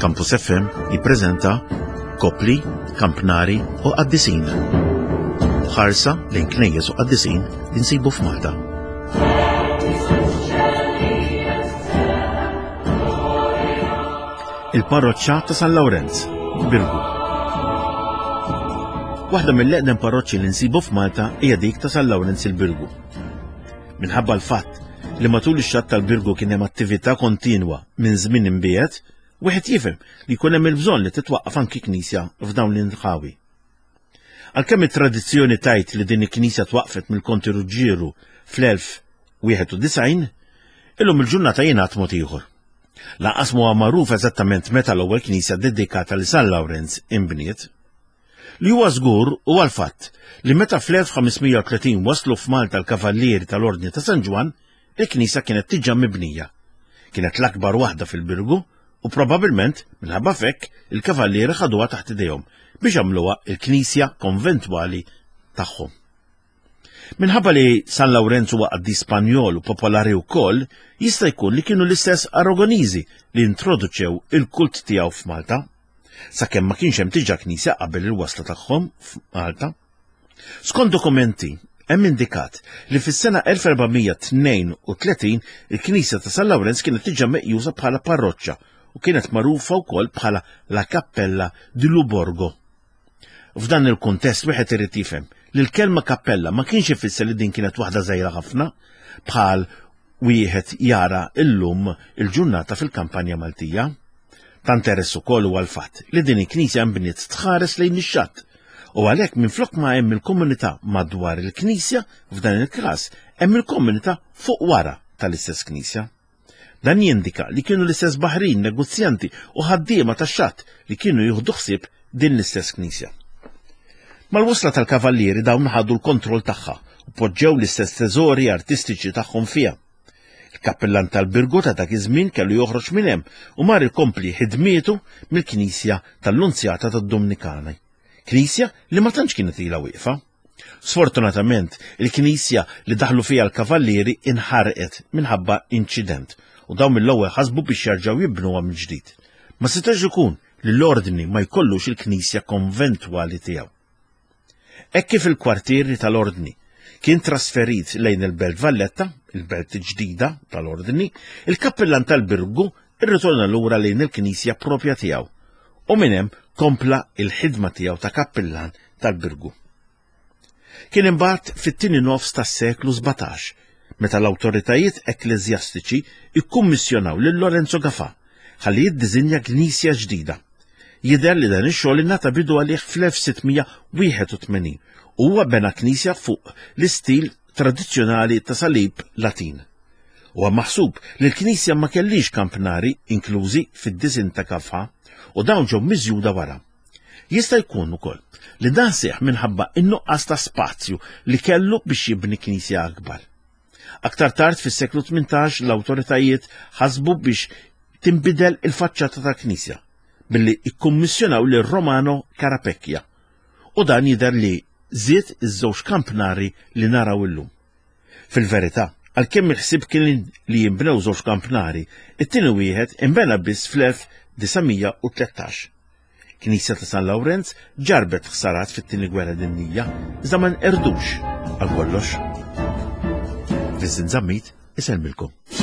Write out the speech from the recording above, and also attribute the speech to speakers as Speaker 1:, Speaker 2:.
Speaker 1: Campus FM jippreżenta Kopli, Kampnari u Qaddisin. Ħarsa lejn knejjes u qaddisin li nsibu f'Malta. Il-parroċċa ta' San Lawrenz, Birgu. Waħda mill-eqdem parroċċi li nsibu f'Malta hija dik ta' San Lawrenz il-Birgu. Minħabba l-fatt li matul ix-xatt tal-Birgu kien hemm attività kontinwa minn żmien imbiegħed, wieħed jifhem li jkun hemm il-bżonn li titwaqqaf anki knisja f'dawn l-inħawi. Għalkemm it-tradizzjoni tgħid li din il-knisja twaqqfet mill-Konti Ruġġieru fl-1091, illum il-ġurnata jingħad mod ieħor. Lanqas m'huwa magħruf eżattament meta l-ewwel knisja dedikata li San Lawrenz inbniet. Li huwa żgur huwa l-fatt li meta fl-1530 waslu f'Malta l-Kavallieri tal-Ordni ta' San Ġwann, il-knisja kienet diġà mibnija. Kienet l-akbar waħda fil-Birgu u probabbilment minħabba f'hekk il-Kavallieri ħaduha taħt idejhom biex għamluha l-knisja konventwali tagħhom. Minħabba li San Lawrenz huwa qaddis Spanjol u popolari wkoll, jista' jkun li kienu l-istess Aragoniżi li introduċew il-kult tiegħu f'Malta. Sakemm ma kienx hemm diġà knisja qabel il-wasla tagħhom f'Malta. Skont dokumenti, hemm indikat li fis-sena 1432 il-knisja ta' San Lawrenz kienet diġà meqjusa bħala parroċċa u kienet magħrufa wkoll bħala La Cappella di Luborgo. F'dan il-kuntest wieħed irid jifhem li l-kelma kappella ma kienx ifisser li din kienet waħda żgħira ħafna bħal wieħed jara illum il-ġurnata fil-kampanja Maltija. Ta' interess ukoll huwa l-fatt li din il-knisja nbniet tħares lejn ix-xatt u għalhekk minflok ma hemm il-komunità madwar il-knisja f'dan il-każ hemm il-komunità fuq wara tal-istess knisja. Dan jindika li kienu l-istess baħrin, negozjanti u ħaddiema tax-xatt li kienu jieħdu ħsieb din l-istess knisja. Mal-wasla tal-kavallieri dawn ħadu l-kontroll tagħha u poġġew l-istess teżori artistiċi tagħhom fiha. Il-kappillan tal-Birgu ta' dak iż-żmien kellu joħroġ minn hemm u mar ikompli ħidmietu mill-knisja tal-Lunzjata tad-Dumnikani. Knisja li ma tantx kienet ilha wieqfa. Sfortunatament, il-knisja li daħlu fiha l-kavallieri inħarqet minħabba inċident u dawn mill-ewwel ħasbu biex jerġgħu jibnuha mill-ġdid. Ma setax ikun li l-ordni ma jkollux il-knisja konventwali tiegħu. Hekk kif il-kwartieri tal-ordni kien trasferit lejn il-Belt Valletta, il-belt ġdida tal-ordni, il-kappillan tal-Birgu irritorna lura lejn il-knisja propja tiegħu u minn hemm kompla il-ħidma tiegħu ta' kappillan tal-Birgu. Kien imbagħad fit-tieni nofs tas-seklu 17 meta l-awtoritajiet ekkleżjastiċi ikkummissjonaw lil Lorenzo Gafà ħalli jiddiżinja knisja ġdida. Jidher li dan ix-xogħol ingħata bidu għalih fl-1681 u huwa bena knisja fuq l-istil tradizzjonali ta' salib Latin. Huwa maħsub li l-knisja ma kellix kampnari inklużi fid-disinn ta' Gafà u dawn ġew miżjuda wara. Jista' jkun ukoll li dan seħħ minħabba n-nuqqas ta' spazju li kellu biex jibni knisja akbar. Aktar tard fis-seklu 18 l-awtoritajiet ħasbu biex tinbidel il-faċċata tal-knisja billi ikkummissjonaw lil Romano Carapecchia u dan jidher li żied iż-żewġ kampnari li naraw illum. Fil-verità, għalkemm il-ħsieb kien li jinbnew żewġ kampnari, it-tieni wieħed inbena biss fl-1913. Knisja ta' San Lawrenz ġarbet ħsarat fit-Tieni Gwerra Dinjija, iżda ma nqerdux għal kollox. Vincent Zammit isellmilkom.